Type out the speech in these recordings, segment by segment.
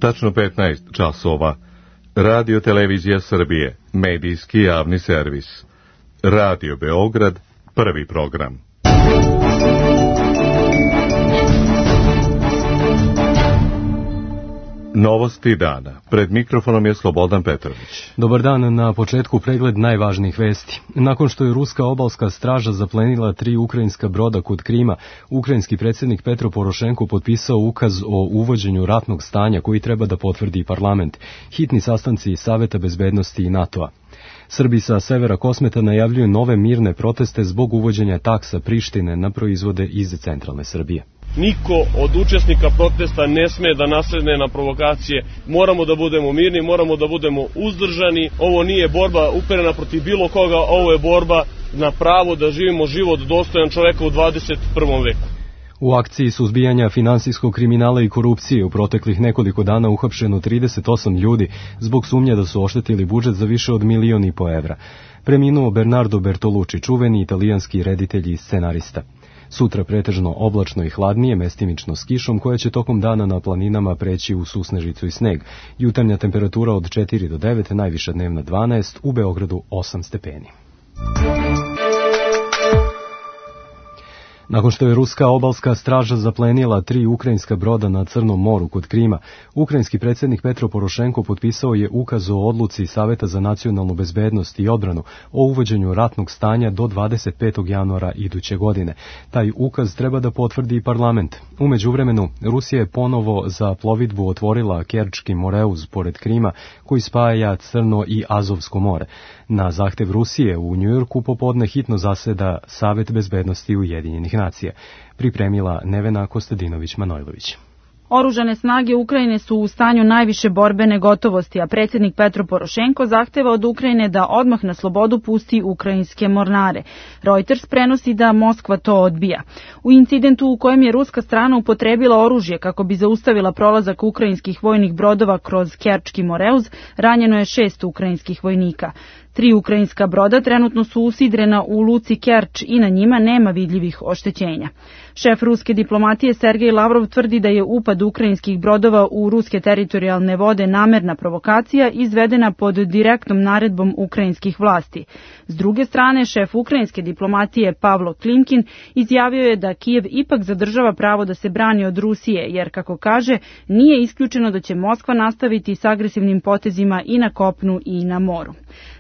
Tačno 15 časova. Radio Televizija Srbije, medijski javni servis. Radio Beograd, prvi program. Novosti dana. Pred mikrofonom je Slobodan Petrović. Dobar dan, na početku pregled najvažnijih vesti. Nakon što je ruska obalska straža zaplenila 3 ukrajinska broda kod Krima, ukrajinski predsjednik Petro Porošenko potpisao ukaz o uvođenju ratnog stanja koji treba da potvrdi parlament. Hitni sastanci Saveta bezbednosti i NATO-a. Srbi sa severa Kosmeta najavljuju nove mirne proteste zbog uvođenja taksa Prištine na proizvode iz centralne Srbije. Niko od učesnika protesta ne sme da nasledne na provokacije. Moramo da budemo mirni, moramo da budemo uzdržani. Ovo nije borba uperena protiv bilo koga, ovo je borba na pravo da živimo život dostojan čoveka u 21. veku. U akciji suzbijanja finansijskog kriminala i korupcije u proteklih nekoliko dana uhapšeno 38 ljudi zbog sumnje da su oštetili budžet za više od 1,5 miliona evra. Preminuo Bernardo Bertolucci, čuveni italijanski reditelj i scenarista. Sutra pretežno oblačno i hladnije, mestimično s kišom, koja će tokom dana na planinama preći u susnežicu i sneg. Jutarnja temperatura od 4 do 9, najviša dnevna 12, u Beogradu 8 stepeni. Nakon što je ruska obalska straža zaplenila 3 ukrajinska broda na Crnom moru kod Krima, ukrajinski predsjednik Petro Porošenko potpisao je ukaz o odluci Saveta za nacionalnu bezbednost i odbranu o uvođenju ratnog stanja do 25. januara iduće godine. Taj ukaz treba da potvrdi parlament. U međuvremenu, Rusija je ponovo za plovidbu otvorila Kerčki Moreuz pored Krima, koji spaja Crno i Azovsko more. Na zahtev Rusije u Njujorku popodne hitno zaseda Savet bezbednosti Ujedinjenih nacija. Pripremila Nevena Kostadinović-Manojlović. Oružane snage Ukrajine su u stanju najviše borbene gotovosti, a predsjednik Petro Porošenko zahteva od Ukrajine da odmah na slobodu pusti ukrajinske mornare. Reuters prenosi da Moskva to odbija. U incidentu u kojem je ruska strana upotrebila oružje kako bi zaustavila prolazak ukrajinskih vojnih brodova kroz Kerčki Moreuz, ranjeno je 6 ukrajinskih vojnika. 3 ukrajinska broda trenutno su usidrena u luci Kerč i na njima nema vidljivih oštećenja. Šef ruske diplomatije Sergej Lavrov tvrdi da je upad ukrajinskih brodova u ruske teritorijalne vode namerna provokacija izvedena pod direktnom naredbom ukrajinskih vlasti. S druge strane, šef ukrajinske diplomatije Pavlo Klimkin izjavio je da Kijev ipak zadržava pravo da se brani od Rusije, jer, kako kaže, nije isključeno da će Moskva nastaviti s agresivnim potezima i na kopnu i na moru.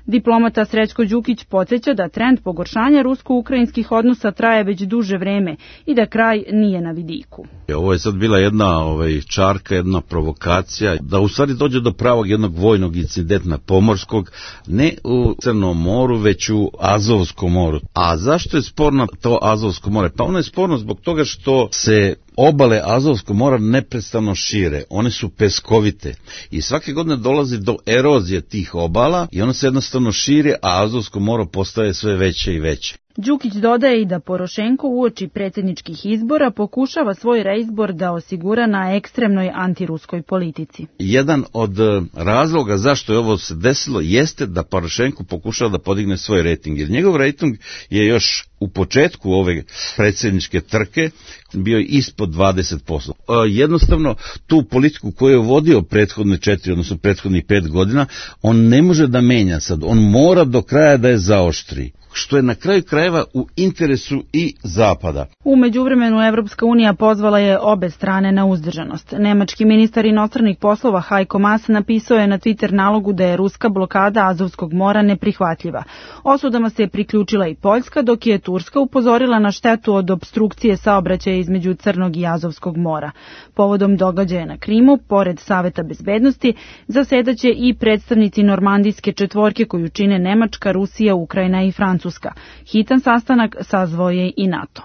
Diplomata Srećko Đukić podsjeća da trend pogoršanja rusko-ukrajinskih odnosa traje već duže vreme i da kraj nije na vidiku. Ovo je sad bila jedna čarka, jedna provokacija, da u stvari dođe do pravog jednog vojnog incidenta pomorskog, ne u Crnom moru, već u Azovskom moru. A zašto je sporno to Azovsko more? Pa ono je sporno zbog toga što se obale Azovskog mora neprestano šire, one su peskovite i svake godine dolazi do erozije tih obala i one se jednostavno šire, a Azovsko more postaje sve veće i veće. Đukić dodaje i da Porošenko uoči predsjedničkih izbora pokušava svoj reizbor da osigura na ekstremnoj antiruskoj politici. Jedan od razloga zašto je ovo se desilo jeste da Porošenko pokušava da podigne svoj rejting, jer njegov rejting je još u početku ove predsjedničke trke bio ispod 20%. Jednostavno, tu politiku koju je vodio prethodne 4, odnosno prethodnih 5 godina, on ne može da menja sad, on mora do kraja da je zaoštri, što je na kraju krajeva u interesu i Zapada. U međuvremenu Evropska unija pozvala je obe strane na uzdržanost. Nemački ministar inostranih poslova Heiko Maas napisao je na Twitter nalogu da je ruska blokada Azovskog mora neprihvatljiva. Osudama se je priključila i Poljska, dok je Turska upozorila na štetu od opstrukcije saobraćaja između Crnog i Azovskog mora. Povodom događaja na Krimu, pored Saveta bezbednosti, zasedaće i predstavnici normandijske četvorke koju čine Nemačka, Rusija, Ukrajina i Francuska. Hitan sastanak sazvao je i NATO.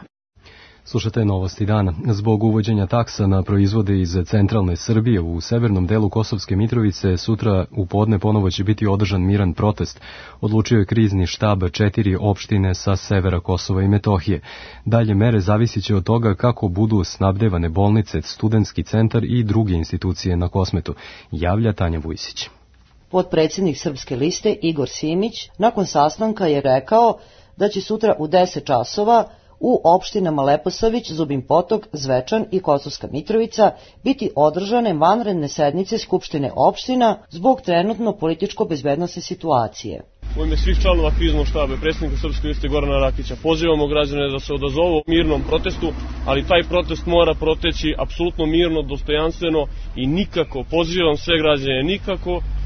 Slušate novosti dana. Zbog uvođenja taksa na proizvode iz centralne Srbije u severnom delu Kosovske Mitrovice sutra u podne ponovo će biti održan miran protest, odlučio je krizni štab 4 opštine sa severa Kosova i Metohije. Dalje mere zavisit će od toga kako budu snabdevane bolnice, studentski centar i druge institucije na Kosmetu, javlja Tanja Vujsić. Potpredsjednik Srpske liste Igor Simić nakon sastanka je rekao da će sutra u 10 časova u opštinama Leposavić, Zubin Potok, Zvečan i Kosovska Mitrovica biti održane vanredne sednice Skupštine opština zbog trenutno političko-bezbednosne situacije. U ime svih članova kriznog štaba i predsjednika Srpske liste Gorana Rakića pozivamo građane da se odazovu mirnom protestu, ali taj protest mora proteći apsolutno mirno, dostojanstveno i nikako, pozivam sve građane,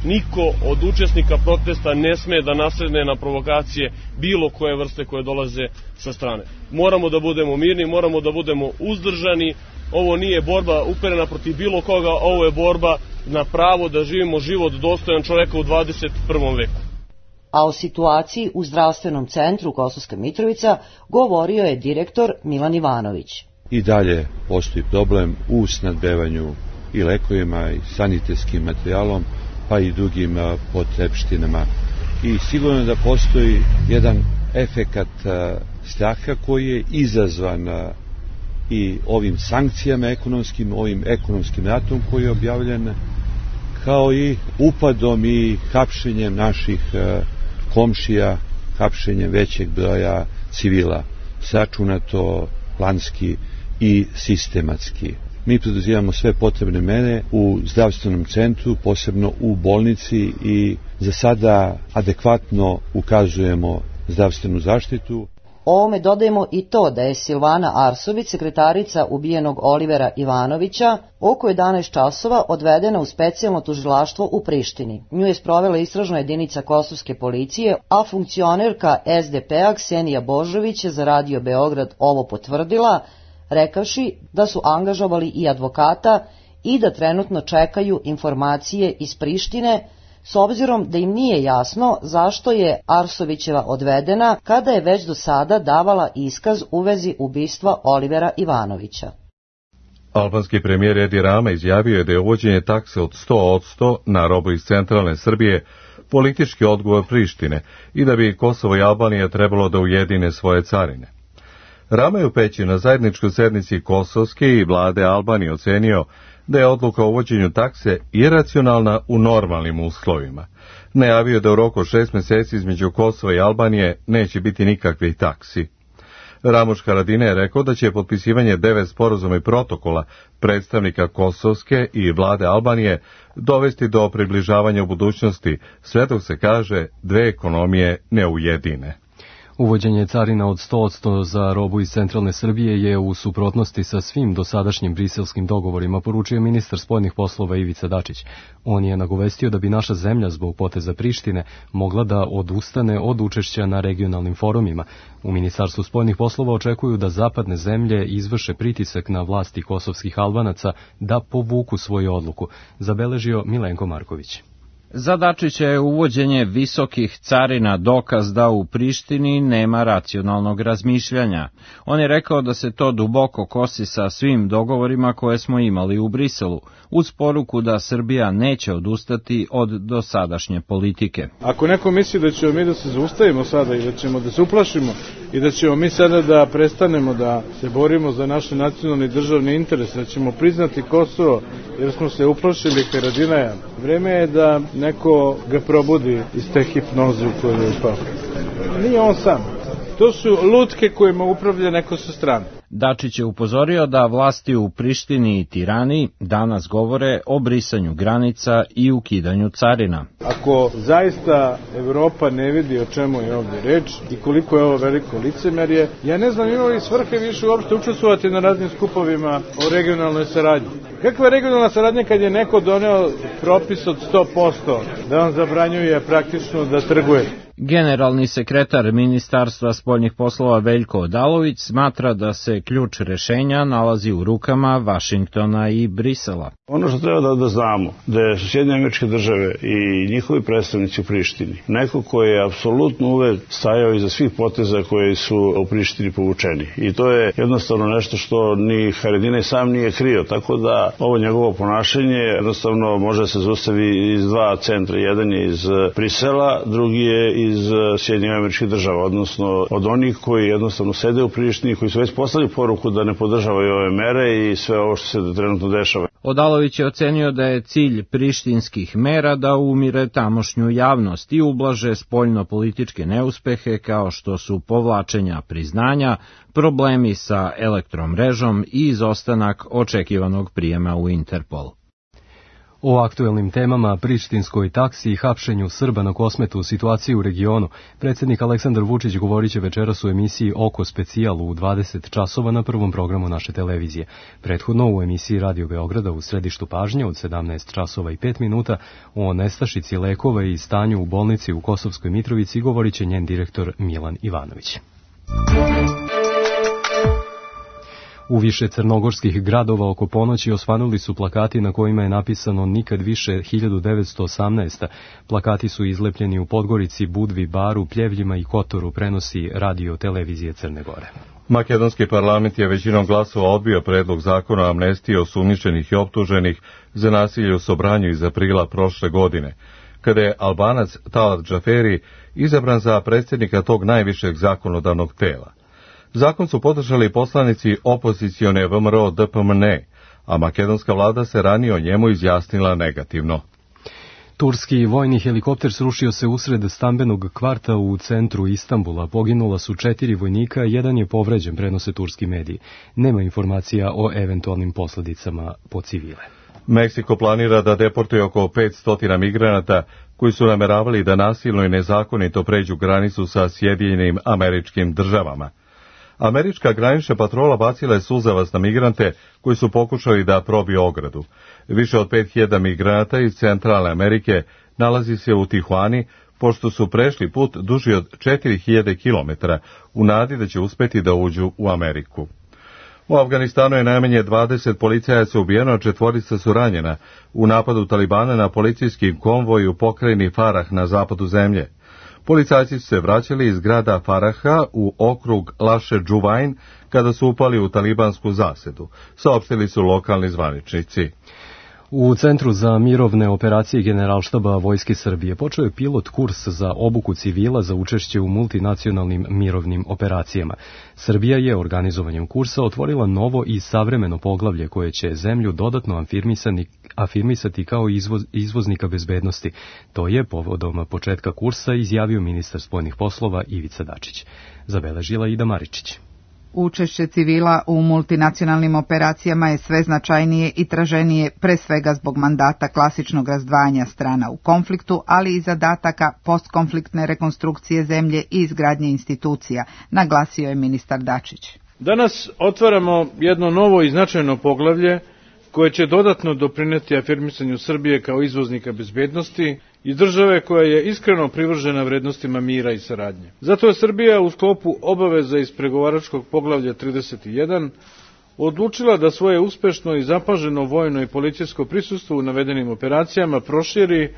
niko od učesnika protesta ne sme da nasedne na provokacije bilo koje vrste koje dolaze sa strane. Moramo da budemo mirni, moramo da budemo uzdržani. Ovo nije borba uperena protiv bilo koga, ovo je borba na pravo da živimo život dostojan čoveka u 21. veku. A o situaciji u zdravstvenom centru Kosovska Mitrovica govorio je direktor Milan Ivanović. I dalje postoji problem u snabdevanju i lekovima i sanitetskim materijalom, pa i drugim potrepštinama. I sigurno da postoji jedan efekat straha koji je izazvan i ovim sankcijama ekonomskim, ovim ekonomskim ratom koji je objavljen, kao i upadom i hapšenjem naših komšija, hapšenjem većeg broja civila, sračunato, planski i sistematski. Mi preduzimamo sve potrebne mere u zdravstvenom centru, posebno u bolnici, i za sada adekvatno ukazujemo zdravstvenu zaštitu. Ovome dodajemo i to da je Silvana Arsović, sekretarica ubijenog Olivera Ivanovića, oko 11 časova odvedena u specijalno tužilaštvo u Prištini. Nju je sprovela istražna jedinica kosovske policije, a funkcionerka SDP-a Ksenija Božović je za Radio Beograd ovo potvrdila, rekavši da su angažovali i advokata i da trenutno čekaju informacije iz Prištine, s obzirom da im nije jasno zašto je Arsovićeva odvedena kada je već do sada davala iskaz u vezi ubistva Olivera Ivanovića. Albanski premijer Edi Rama izjavio je da je uvođenje takse od 100% na robu iz centralne Srbije politički odgovor Prištine i da bi Kosovo i Albanija trebalo da ujedine svoje carine. Rama je u Peći na zajedničkoj sednici kosovske i vlade Albanije ocenio da je odluka o uvođenju takse iracionalna u normalnim uslovima. Najavio da u roku 6 meseci između Kosova i Albanije neće biti nikakvih taksi. Ramuš Haradinaj je rekao da će potpisivanje 9 sporazuma i protokola predstavnika kosovske i vlade Albanije dovesti do približavanja u budućnosti, sve dok se kaže dve ekonomije ne ujedine. Uvođenje carina od 100% za robu iz centralne Srbije je u suprotnosti sa svim dosadašnjim briselskim dogovorima, poručio ministar spoljnih poslova Ivica Dačić. On je nagovestio da bi naša zemlja zbog poteza Prištine mogla da odustane od učešća na regionalnim forumima. U Ministarstvu spoljnih poslova očekuju da zapadne zemlje izvrše pritisak na vlasti kosovskih Albanaca da povuku svoju odluku, zabeležio Milenko Marković. Za Dačića je uvođenje visokih carina dokaz da u Prištini nema racionalnog razmišljanja. On je rekao da se to duboko kosi sa svim dogovorima koje smo imali u Briselu, uz poruku da Srbija neće odustati od dosadašnje politike. Ako neko misli da ćemo mi da se zaustavimo sada i da ćemo da se uplašimo i da ćemo mi sada da prestanemo da se borimo za naše nacionalne i državne interese, da ćemo priznati Kosovo jer smo se uplašili Haradinaja, vreme je da neko ga probudi iz te hipnoze u kojoj je upao. Nije on sam. To su lutke kojima upravlja neko sa strane. Dačić je upozorio da vlasti u Prištini i Tirani danas govore o brisanju granica i ukidanju carina. Ako zaista Evropa ne vidi o čemu je ovdje reč i koliko je ovo veliko licemerje, ja ne znam ima li svrhe više uopšte učestvovati na raznim skupovima o regionalnoj saradnji. Kakva je regionalna saradnja kad je neko doneo propis od 100% da vam zabranjuje praktično da trguje? Generalni sekretar Ministarstva spoljnih poslova Veljko Odalović smatra da se ključ rešenja nalazi u rukama Vašingtona i Brisela. Ono što treba da znamo, da su Sjedinjene Američke Države i njihovi predstavnici u Prištini neko koji je apsolutno uvek stajao iza svih poteza koji su u Prištini povučeni. I to je jednostavno nešto što ni Haradinaj sam nije krio, tako da ovo njegovo ponašanje jednostavno može se zaustavi iz dva centra. Jedan je iz Brisela, drugi je iz Sjedinjenih Američkih Država, odnosno od onih koji jednostavno sede u Prištini, koji su već poslali poruku da ne podržavaju ove mere i sve ovo što se trenutno dešava. Odalović je ocenio da je cilj prištinskih mera da umire tamošnju javnost i ublaže spoljno-političke neuspehe kao što su povlačenja priznanja, problemi sa elektromrežom i izostanak očekivanog prijema u Interpol. O aktuelnim temama, prištinskoj taksi i hapšenju Srba na Kosmetu, situaciji u regionu, predsjednik Aleksandar Vučić govorit će večeras u emisiji Oko specijal u 20 časova na prvom programu naše televizije. Prethodno u emisiji Radio Beograda u središtu pažnje od 17 časova i 5 minuta o nestašici lekova i stanju u bolnici u Kosovskoj Mitrovici govorit će njen direktor Milan Ivanović. U više crnogorskih gradova oko ponoći osvanuli su plakati na kojima je napisano Nikad više 1918. Plakati su izlepljeni u Podgorici, Budvi, Baru, Pljevljima i Kotoru, prenosi Radio Televizije Crne Gore. Makedonski parlament je većinom glasova odbio predlog zakona o amnestiji osumnjičenih i optuženih za nasilje u Sobranju iz aprila prošle godine, kada je Albanac Talat Džaferi izabran za predsjednika tog najvišeg zakonodavnog tela. Zakon su podržali poslanici opozicione VMRO DPMN, a makedonska vlada se ranije o njemu izjasnila negativno. Turski vojni helikopter srušio se usred stambenog kvarta u centru Istanbula. Poginula su 4 vojnika, jedan je povređen, prenose turski mediji. Nema informacija o eventualnim posljedicama po civile. Meksiko planira da deportuje oko 500 migranata koji su nameravali da nasilno i nezakonito pređu granicu sa Sjedinjenim Američkim Državama. Američka granična patrola bacila je suzavac na migrante koji su pokušali da probiju ogradu. Više od 5000 migranata iz Centralne Amerike nalazi se u Tijuani, pošto su prešli put duži od 4000 km u nadi da će uspeti da uđu u Ameriku. U Afganistanu je najmanje 20 policajaca ubijeno, 4 su ranjena u napadu Talibana na policijski konvoj u pokrajini Farah na zapadu zemlje. Policajci su se vraćali iz grada Faraha u okrug Laše Džuvain kada su upali u talibansku zasedu, saopštili su lokalni zvaničnici. U Centru za mirovne operacije Generalštaba Vojske Srbije počeo je pilot kurs za obuku civila za učešće u multinacionalnim mirovnim operacijama. Srbija je organizovanjem kursa otvorila novo i savremeno poglavlje koje će zemlju dodatno afirmisati kao izvoznika bezbednosti. To je povodom početka kursa izjavio ministar spoljnih poslova Ivica Dačić. Zabeležila Ida Maričić. Učešće civila u multinacionalnim operacijama je sve značajnije i traženije, pre svega zbog mandata klasičnog razdvajanja strana u konfliktu, ali i zadataka postkonfliktne rekonstrukcije zemlje i izgradnje institucija, naglasio je ministar Dačić. Danas otvaramo jedno novo i značajno poglavlje koje će dodatno doprineti afirmisanju Srbije kao izvoznika bezbednosti i države koja je iskreno privržena vrednostima mira i saradnje. Zato je Srbija u sklopu obaveza iz pregovaračkog poglavlja 31 odlučila da svoje uspešno i zapaženo vojno i policijsko prisustvo u navedenim operacijama proširi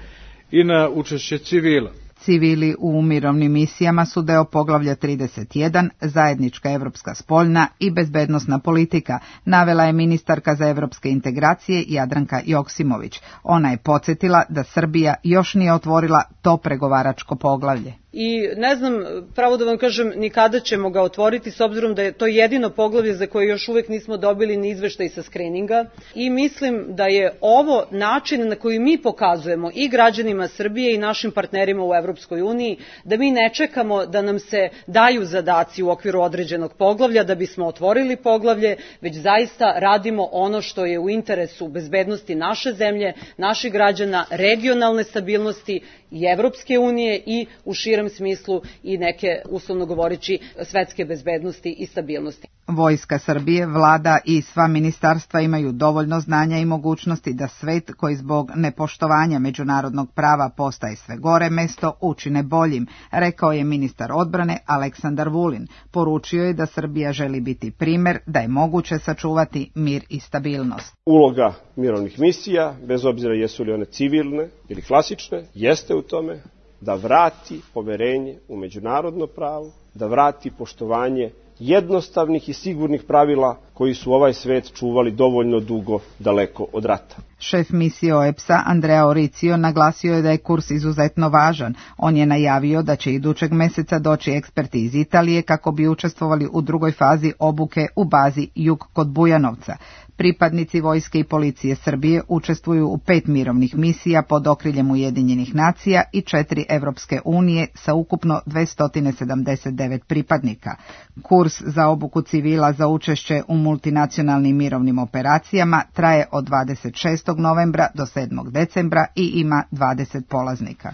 i na učešće civila. Civili u mirovnim misijama su deo poglavlja 31, zajednička evropska spoljna i bezbednosna politika, navela je ministarka za evropske integracije Jadranka Joksimović. Ona je podsjetila da Srbija još nije otvorila to pregovaračko poglavlje. I ne znam, pravo da vam kažem, ni kada ćemo ga otvoriti, s obzirom da je to jedino poglavlje za koje još uvek nismo dobili ni izveštaj sa skrininga. I mislim da je ovo način na koji mi pokazujemo i građanima Srbije i našim partnerima u Evropskoj uniji, da mi ne čekamo da nam se daju zadaci u okviru određenog poglavlja da bismo otvorili poglavlje, već zaista radimo ono što je u interesu bezbednosti naše zemlje, naših građana, regionalne stabilnosti i Evropske unije i u širem smislu i neke, uslovno govoreći, svetske bezbednosti i stabilnosti. Vojska Srbije, vlada i sva ministarstva imaju dovoljno znanja i mogućnosti da svet koji zbog nepoštovanja međunarodnog prava postaje sve gore mesto učine boljim, rekao je ministar odbrane Aleksandar Vulin. Poručio je da Srbija želi biti primer da je moguće sačuvati mir i stabilnost. Uloga mirovnih misija, bez obzira jesu li one civilne ili klasične, jeste u tome da vrati poverenje u međunarodno pravo, da vrati poštovanje jednostavnih i sigurnih pravila koji su ovaj svet čuvali dovoljno dugo daleko od rata. Šef misije OEBS-a Andrea Oricio naglasio je da je kurs izuzetno važan. On je najavio da će idućeg meseca doći eksperti iz Italije kako bi učestvovali u drugoj fazi obuke u bazi Jug kod Bujanovca. Pripadnici vojske i policije Srbije učestvuju u 5 mirovnih misija pod okriljem Ujedinjenih nacija i 4 Evropske unije sa ukupno 279 pripadnika. Kurs za obuku civila za učešće u multinacionalnim mirovnim operacijama traje od 26. novembra do 7. decembra i ima 20 polaznika.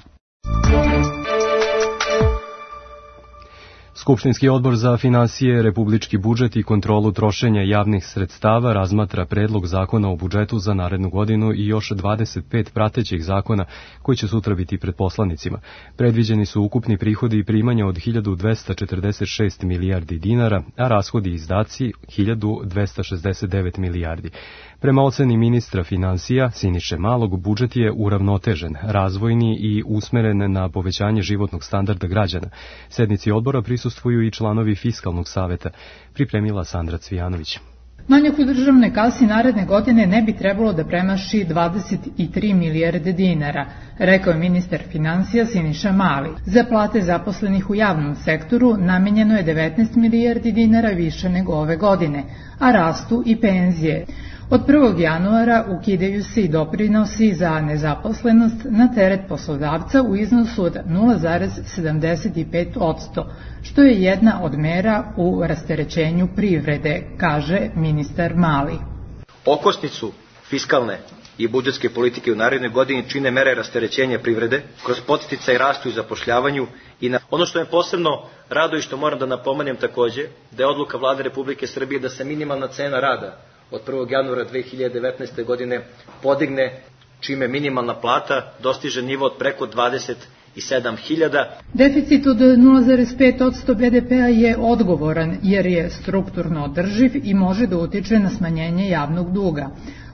Skupštinski odbor za finansije, republički budžet i kontrolu trošenja javnih sredstava razmatra predlog zakona o budžetu za narednu godinu i još 25 pratećih zakona koji će sutra biti pred poslanicima. Predviđeni su ukupni prihodi i primanja od 1246 milijardi dinara, a rashodi i izdaci 1269 milijardi. Prema oceni ministra finansija Siniše Malog, budžet je uravnotežen, razvojni i usmeren na povećanje životnog standarda građana. Sednici odbora prisustvuju i članovi Fiskalnog saveta, pripremila Sandra Cvijanović. Manjak u državnoj kasi naredne godine ne bi trebalo da premaši 23 milijarde dinara, rekao je ministar finansija Siniša Mali. Za plate zaposlenih u javnom sektoru namenjeno je 19 milijardi dinara više nego ove godine, a rastu i penzije. Od 1. januara ukidaju se i doprinosi za nezaposlenost na teret poslodavca u iznosu od 0,75%, što je jedna od mera u rasterećenju privrede, kaže ministar Mali. Okosnicu fiskalne i budžetske politike u narednoj godini čine mere rasterećenja privrede kroz podsticaj rastu i zapošljavanju i ono što me posebno raduje i što moram da napomenem takođe, da je odluka Vlade Republike Srbije da se minimalna cena rada od 1. januara 2019. godine podigne, čime minimalna plata dostiže nivo od preko 27.000. Deficit od 0,5% BDP-a je odgovoran jer je strukturno održiv i može da utiče na smanjenje javnog duga,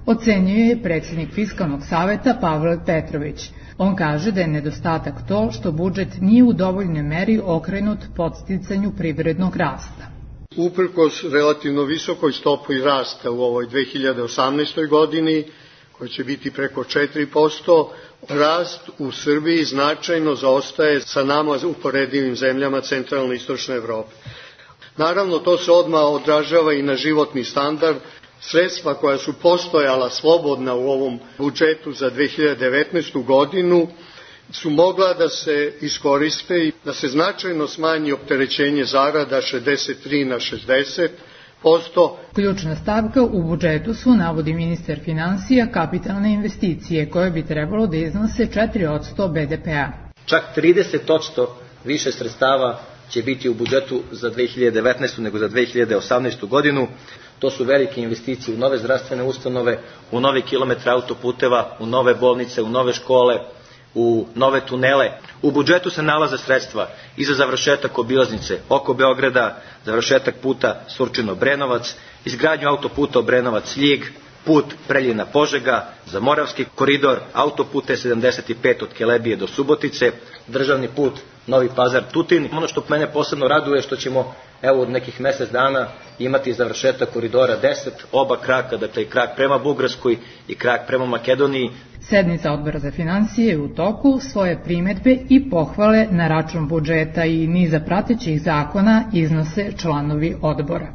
ocenjuje je predsjednik Fiskalnog saveta Pavle Petrović. On kaže da je nedostatak to što budžet nije u dovoljnoj meri okrenut podsticanju privrednog rasta. Uprkos relativno visokoj stopi rasta u ovoj 2018. godini, koja će biti preko 4%, rast u Srbiji značajno zaostaje sa nama uporedivim zemljama centralne i istočne Evrope. Naravno, to se odmah odražava i na životni standard. Sredstva koja su postojala slobodna u ovom budžetu za 2019. godinu su mogla da se iskoriste i da se značajno smanji opterećenje zarada 63 na 60%. Ključna stavka u budžetu su, navodi ministar finansija, kapitalne investicije koje bi trebalo da iznose 4% BDP-a. Čak 30% više sredstava će biti u budžetu za 2019. nego za 2018. godinu. To su velike investicije u nove zdravstvene ustanove, u nove kilometre autoputeva, u nove bolnice, u nove škole, u nove tunele. U budžetu se nalaze sredstva i za završetak obilaznice oko Beograda, završetak puta Surčino-Brenovac, izgradnju autoputa Obrenovac-Ljig, put Preljina-Požega, za Moravski koridor, autoput E75 od Kelebije do Subotice, državni put Novi Pazar-Tutin. Ono što mene posebno raduje je što ćemo od nekih mesec dana imati završetak koridora 10, oba kraka, dakle i krak prema Bugarskoj i krak prema Makedoniji. Sednica odbora za finansije je u toku, svoje primedbe i pohvale na račun budžeta i niza pratećih zakona iznose članovi odbora.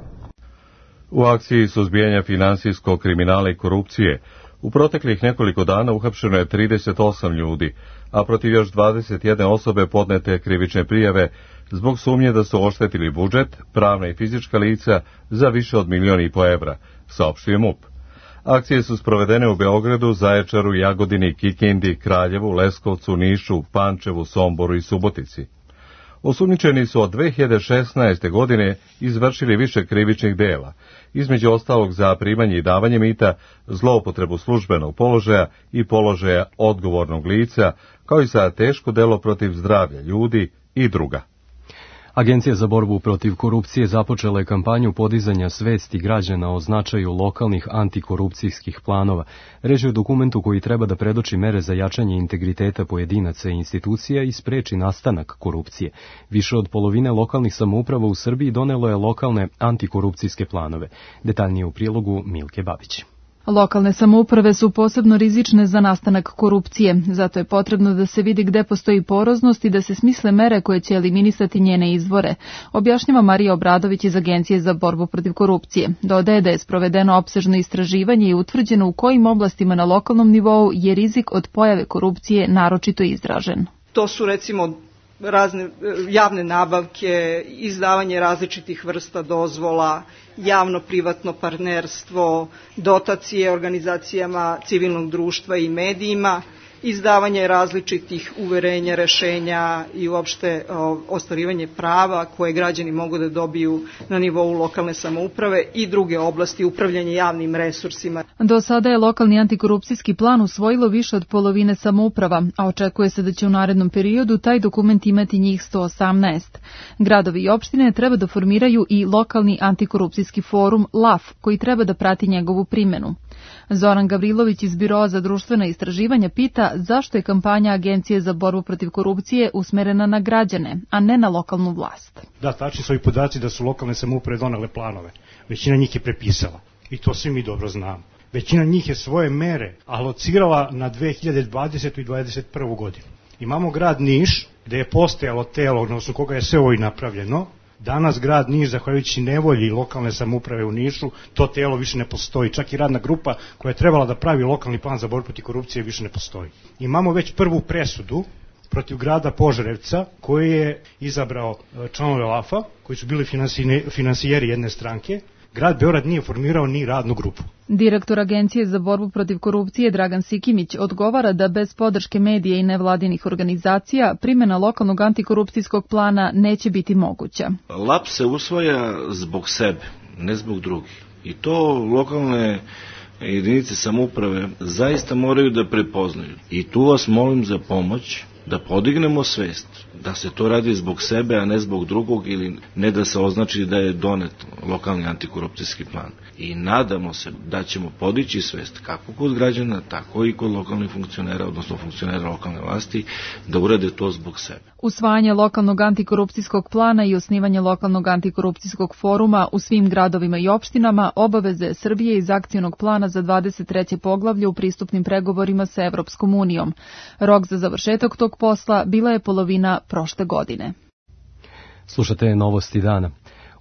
U akciji suzbijanja finansijskog kriminala i korupcije u proteklih nekoliko dana uhapšeno je 38 ljudi, a protiv još 21 osobe podnete krivične prijave zbog sumnje da su oštetili budžet, pravna i fizička lica za više od 1,5 miliona evra, saopštio MUP. Akcije su sprovedene u Beogradu, Zaječaru, Jagodini, Kikindi, Kraljevu, Leskovcu, Nišu, Pančevu, Somboru i Subotici. Osumnjičeni su od 2016. godine izvršili više krivičnih dela, između ostalog za primanje i davanje mita, zloupotrebu službenog položaja i položaja odgovornog lica, kao i za teško delo protiv zdravlja ljudi i druga. Agencija za borbu protiv korupcije započela je kampanju podizanja svesti građana o značaju lokalnih antikorupcijskih planova. Reč je o dokumentu koji treba da predoči mere za jačanje integriteta pojedinaca i institucija i spreči nastanak korupcije. Više od polovine lokalnih samouprava u Srbiji donelo je lokalne antikorupcijske planove. Detaljnije u prilogu Milke Babić. Lokalne samouprave su posebno rizične za nastanak korupcije, zato je potrebno da se vidi gde postoji poroznost i da se smisle mere koje će eliminisati njene izvore, objašnjava Marija Obradović iz Agencije za borbu protiv korupcije. Dodaje da je sprovedeno opsežno istraživanje i utvrđeno u kojim oblastima na lokalnom nivou je rizik od pojave korupcije naročito izražen. To su recimo razne javne nabavke, izdavanje različitih vrsta dozvola, javno-privatno partnerstvo, dotacije organizacijama civilnog društva i medijima, izdavanje različitih uverenja, rešenja i uopšte ostvarivanje prava koje građani mogu da dobiju na nivou lokalne samouprave i druge oblasti upravljanja javnim resursima. Do sada je lokalni antikorupcijski plan usvojilo više od polovine samouprava, a očekuje se da će u narednom periodu taj dokument imati njih 118. Gradovi i opštine treba da formiraju i lokalni antikorupcijski forum LAF, koji treba da prati njegovu primenu. Zoran Gavrilović iz Biroa za društvena istraživanja pita zašto je kampanja Agencije za borbu protiv korupcije usmerena na građane, a ne na lokalnu vlast. Da, tačni su ovi podaci da su lokalne samouprave donele planove. Većina njih je prepisala i to svi mi dobro znamo. Većina njih je svoje mere alocirala na 2020. i 2021. godinu. Imamo grad Niš, gde je postojalo telo, odnosno koga je sve ovo i napravljeno. Danas grad Niš, zahvaljujući nevolji lokalne samouprave u Nišu, to telo više ne postoji. Čak i radna grupa koja je trebala da pravi lokalni plan za borbu protiv korupcije više ne postoji. Imamo već prvu presudu protiv grada Požarevca koji je izabrao članove LAF-a, koji su bili finansijeri jedne stranke. Grad Beograd nije formirao ni radnu grupu. Direktor Agencije za borbu protiv korupcije Dragan Sikimić odgovara da bez podrške medija i nevladinih organizacija primjena lokalnog antikorupcijskog plana neće biti moguća. LAP se usvaja zbog sebe, ne zbog drugih. I to lokalne jedinice samouprave zaista moraju da prepoznaju. I tu vas molim za pomoć da podignemo svest da se to radi zbog sebe, a ne zbog drugog, ili ne da se označi da je donet lokalni antikorupcijski plan. I nadamo se da ćemo podići svest kako kod građana, tako i kod lokalnih funkcionera, odnosno funkcionera lokalne vlasti, da urade to zbog sebe. Usvajanje lokalnog antikorupcijskog plana i osnivanje lokalnog antikorupcijskog foruma u svim gradovima i opštinama obaveze Srbije iz akcionog plana za 23. poglavlje u pristupnim pregovorima sa Evropskom unijom. Rok za završetak tog posla bila je polovina prošle godine. Slušate Novosti dana.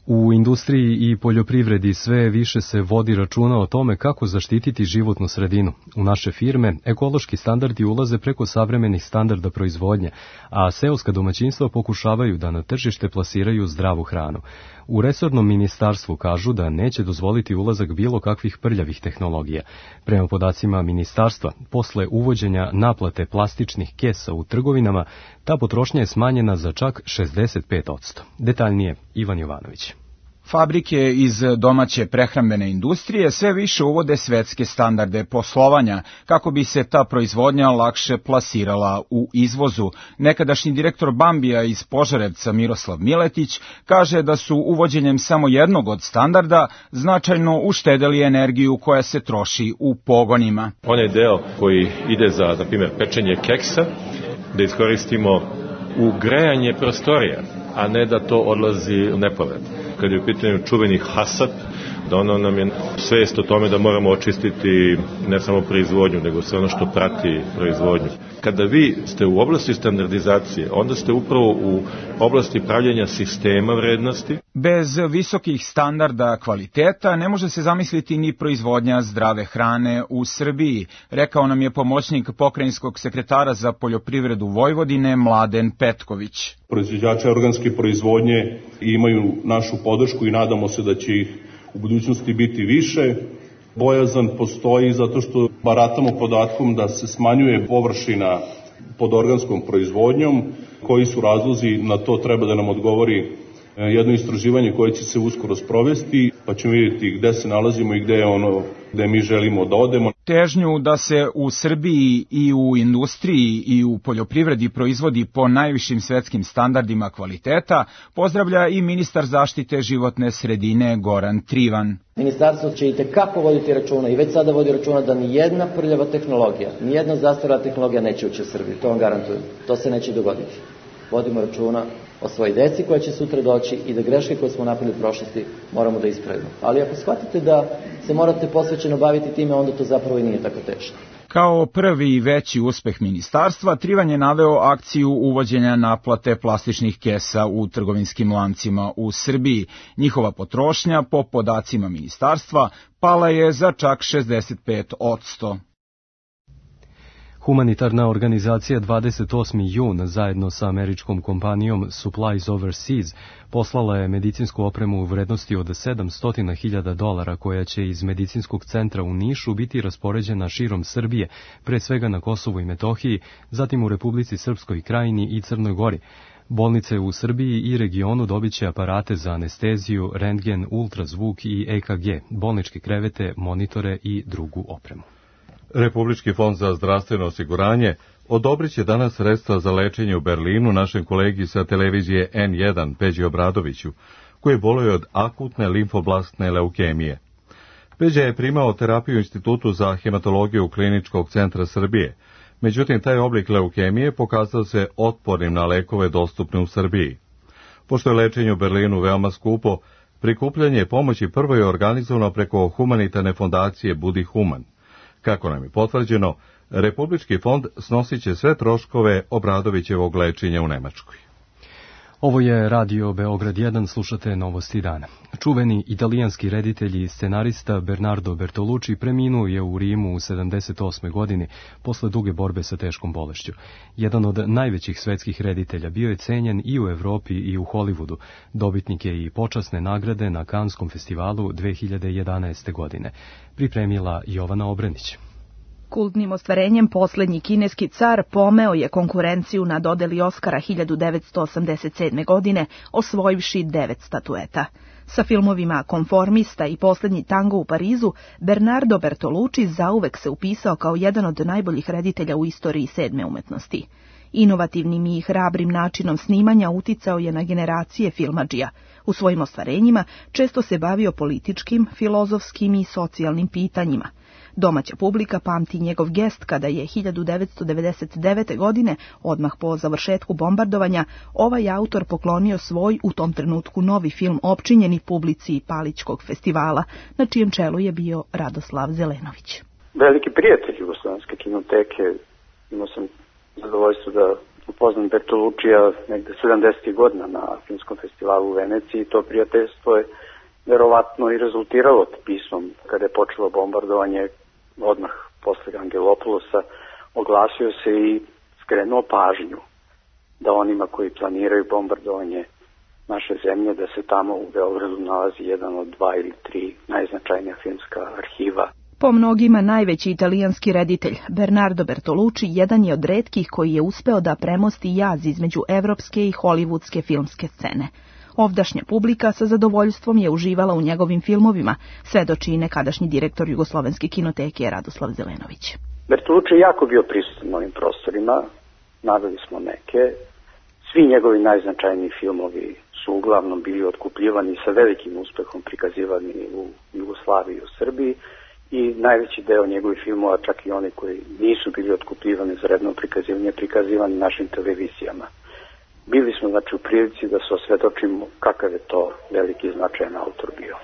U industriji i poljoprivredi sve više se vodi računa o tome kako zaštititi životnu sredinu. U naše firme ekološki standardi ulaze preko savremenih standarda proizvodnje, a seoska domaćinstva pokušavaju da na tržište plasiraju zdravu hranu. U resornom ministarstvu kažu da neće dozvoliti ulazak bilo kakvih prljavih tehnologija. Prema podacima ministarstva, posle uvođenja naplate plastičnih kesa u trgovinama, ta potrošnja je smanjena za čak 65%. Detaljnije, Ivan Jovanović. Fabrike iz domaće prehrambene industrije sve više uvode svetske standarde poslovanja kako bi se ta proizvodnja lakše plasirala u izvozu. Nekadašnji direktor Bambija iz Požarevca Miroslav Miletić kaže da su uvođenjem samo jednog od standarda značajno uštedeli energiju koja se troši u pogonima. Onaj deo koji ide za, na primjer, pečenje keksa, da iskoristimo u grejanje prostorija, a ne da to odlazi u nepovrat. Kad je u pitanju čuveni hasap, da ono nam je svest o tome da moramo očistiti ne samo proizvodnju, nego sve ono što prati proizvodnju. Kada vi ste u oblasti standardizacije, onda ste upravo u oblasti pravljenja sistema vrednosti. Bez visokih standarda kvaliteta ne može se zamisliti ni proizvodnja zdrave hrane u Srbiji, rekao nam je pomoćnik pokrajinskog sekretara za poljoprivredu Vojvodine Mladen Petković. Proizvođači organske proizvodnje imaju našu podršku i nadamo se da će ih u budućnosti biti više. Bojazan postoji zato što baratamo podatkom da se smanjuje površina pod organskom proizvodnjom. Koji su razlozi, na to treba da nam odgovori jedno istraživanje koje će se uskoro sprovesti, pa ćemo vidjeti gde se nalazimo i gde je ono gde mi želimo da odemo. Težnju da se u Srbiji i u industriji i u poljoprivredi proizvodi po najvišim svetskim standardima kvaliteta pozdravlja i ministar zaštite životne sredine Goran Trivan. Ministarstvo će itekako voditi računa i već sada vodi računa da ni jedna prljava tehnologija, ni jedna zastarela tehnologija neće ući u Srbiju, to vam garantujem. To se neće dogoditi. Vodimo računa o svojoj deci koja će sutra doći i da greške koje smo napravili u prošlosti moramo da ispravimo. Ali ako shvatite da se morate posvećeno baviti time, onda to zapravo i nije tako teško. Kao prvi i veći uspeh ministarstva, Trivan je naveo akciju uvođenja naplate plastičnih kesa u trgovinskim lancima u Srbiji. Njihova potrošnja, po podacima ministarstva, pala je za čak 65%. Humanitarna organizacija 28. jun zajedno sa američkom kompanijom Supplies Overseas poslala je medicinsku opremu u vrednosti od $700.000 koja će iz medicinskog centra u Nišu biti raspoređena širom Srbije, pre svega na Kosovu i Metohiji, zatim u Republici Srpskoj Krajini i Crnoj Gori. Bolnice u Srbiji i regionu dobit će aparate za anesteziju, rentgen, ultrazvuk i EKG, bolničke krevete, monitore i drugu opremu. Republički fond za zdravstveno osiguranje odobrit će danas sredstva za lečenje u Berlinu našem kolegi sa televizije N1, Peđi Obradoviću, koji boluje od akutne limfoblastne leukemije. Peđa je primao terapiju u Institutu za hematologiju Kliničkog centra Srbije, međutim taj oblik leukemije pokazao se otpornim na lekove dostupne u Srbiji. Pošto je lečenje u Berlinu veoma skupo, prikupljanje pomoći prvo je organizovano preko humanitarne fondacije Budi Human. Kako nam je potvrđeno, Republički fond snosit će sve troškove Obradovićevog lečenja u Nemačkoj. Ovo je Radio Beograd 1, slušate Novosti dana. Čuveni italijanski reditelj i scenarista Bernardo Bertolucci preminuo je u Rimu u 78. godini posle duge borbe sa teškom bolešću. Jedan od najvećih svetskih reditelja, bio je cenjen i u Evropi i u Hollywoodu. Dobitnik je i počasne nagrade na Kanskom festivalu 2011. godine. Pripremila Jovana Obrenić. Kultnim ostvarenjem poslednji kineski car pomeo je konkurenciju na dodeli Oskara 1987. godine, osvojivši 9 statueta. Sa filmovima Konformista i Poslednji tango u Parizu, Bernardo Bertolucci zauvek se upisao kao jedan od najboljih reditelja u istoriji sedme umetnosti. Inovativnim i hrabrim načinom snimanja uticao je na generacije filmadžija. U svojim ostvarenjima često se bavio političkim, filozofskim i socijalnim pitanjima. Domaća publika pamti njegov gest kada je 1999. godine, odmah po završetku bombardovanja, ovaj autor poklonio svoj, u tom trenutku novi film opčinjeni publici Palićkog festivala, na čijem čelu je bio Radoslav Zelenović. Veliki prijatelj Jugoslovenske kinoteke, imao sam zadovoljstvo da upoznam Bertoluccija negde 70. godina na filmskom festivalu u Veneciji. To prijateljstvo je verovatno i rezultiralo pismom kada je počelo bombardovanje. Odmah posle Angelopoulosa oglasio se i skrenuo pažnju da onima koji planiraju bombardovanje naše zemlje, da se tamo u Beogradu nalazi jedan od 2 ili 3 najznačajnija filmska arhiva. Po mnogima najveći italijanski reditelj, Bernardo Bertolucci jedan je od retkih koji je uspeo da premosti jaz između evropske i hollywoodske filmske scene. Ovdašnja publika sa zadovoljstvom je uživala u njegovim filmovima, svedoči nekadašnji direktor Jugoslovenske kinoteke Radoslav Zelenović. Bertolucci je jako bio prisutan na ovim prostorima, naveli smo neke. Svi njegovi najznačajniji filmovi su uglavnom bili otkupljivani i sa velikim uspehom prikazivani u Jugoslaviji i u Srbiji i najveći deo njegovih filmova, čak i oni koji nisu bili otkupljivani za redno prikazivanje, prikazivani našim televizijama. Bili smo znači u prilici da se osvedočimo kakav je to veliki i značajan autor bio.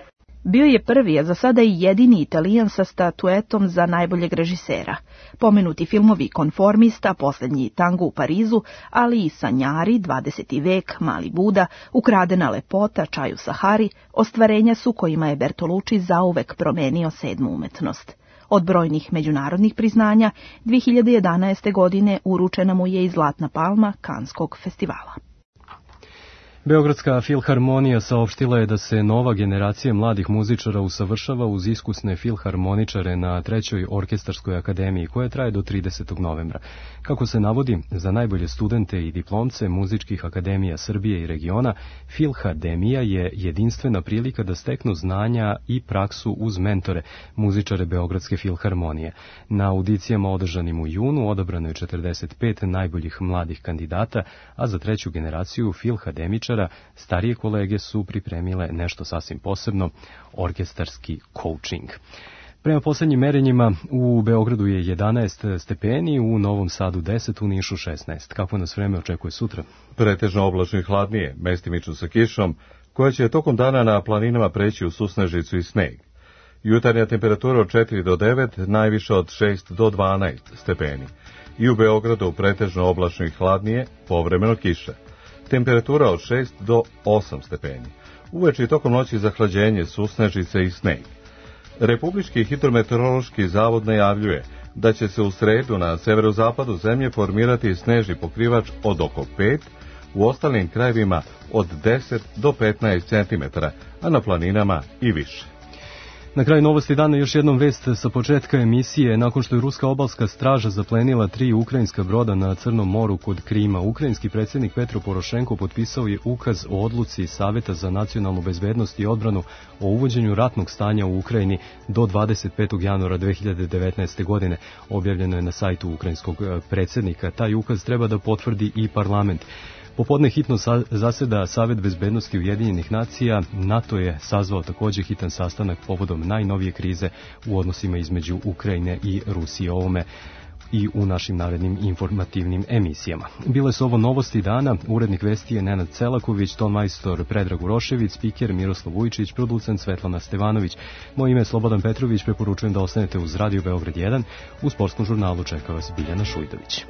Bio je prvi, a za sada i jedini Italijan sa statuetom za najboljeg režisera. Pomenuti filmovi Konformista, Poslednji tango u Parizu, ali i Sanjari, 20. vek, Mali Buda, Ukradena lepota, Čaj u Sahari, ostvarenja su kojima je Bertolucci zauvek promenio sedmu umetnost. Od brojnih međunarodnih priznanja, 2011. godine uručena mu je i Zlatna palma Kanskog festivala. Beogradska filharmonija saopštila je da se nova generacija mladih muzičara usavršava uz iskusne filharmoničare na 3. orkestarskoj akademiji, koja traje do 30. novembra. Kako se navodi, za najbolje studente i diplomce muzičkih akademija Srbije i regiona, Filhademija je jedinstvena prilika da steknu znanja i praksu uz mentore, muzičare Beogradske filharmonije. Na audicijama održanim u junu odabrano je 45 najboljih mladih kandidata, a za 3. generaciju filhademičara starije kolege su pripremile nešto sasvim posebno, orkestarski coaching. Prema poslednjim merenjima u Beogradu je 11 stepeni, u Novom Sadu 10, u Nišu 16. Kako nas vreme očekuje sutra? Pretežno oblačno i hladnije, mestimično sa kišom, koja će tokom dana na planinama preći u susnežicu i sneg. Jutarnja temperatura od 4 do 9, najviše od 6 do 12 stepeni. I u Beogradu pretežno oblačno i hladnije, povremeno kiša. Temperatura od 6 do 8 stepeni. Uveče i tokom noći zahlađenje, susnežice i sneg. Republički hidrometeorološki zavod najavljuje da će se u sredu na severozapadu zemlje formirati snežni pokrivač od oko 5, u ostalim krajevima od 10 do 15 cm, a na planinama i više. Na kraju novosti dana još jednom vest sa početka emisije. Nakon što je ruska obalska straža zaplenila 3 ukrajinska broda na Crnom moru kod Krima, ukrajinski predsjednik Petro Porošenko potpisao je ukaz o odluci Saveta za nacionalnu bezbednost i odbranu o uvođenju ratnog stanja u Ukrajini do 25. januara 2019. godine. Objavljeno je na sajtu ukrajinskog predsjednika. Taj ukaz treba da potvrdi i parlament. Popodne hitno zaseda Savet bezbednosti Ujedinjenih nacija. NATO je sazvao također hitan sastanak povodom najnovije krize u odnosima između Ukrajine i Rusije. Ovome i u našim narednim informativnim emisijama. Bile su ovo novosti dana. Urednik vesti je Nenad Celaković, tonmajstor Predrag Urošević, spiker Miroslav Vujčić, producent Svetlana Stevanović. Moje ime je Slobodan Petrović, preporučujem da ostanete uz Radio Beograd 1. U sportskom žurnalu čeka vas Biljana Šujdović.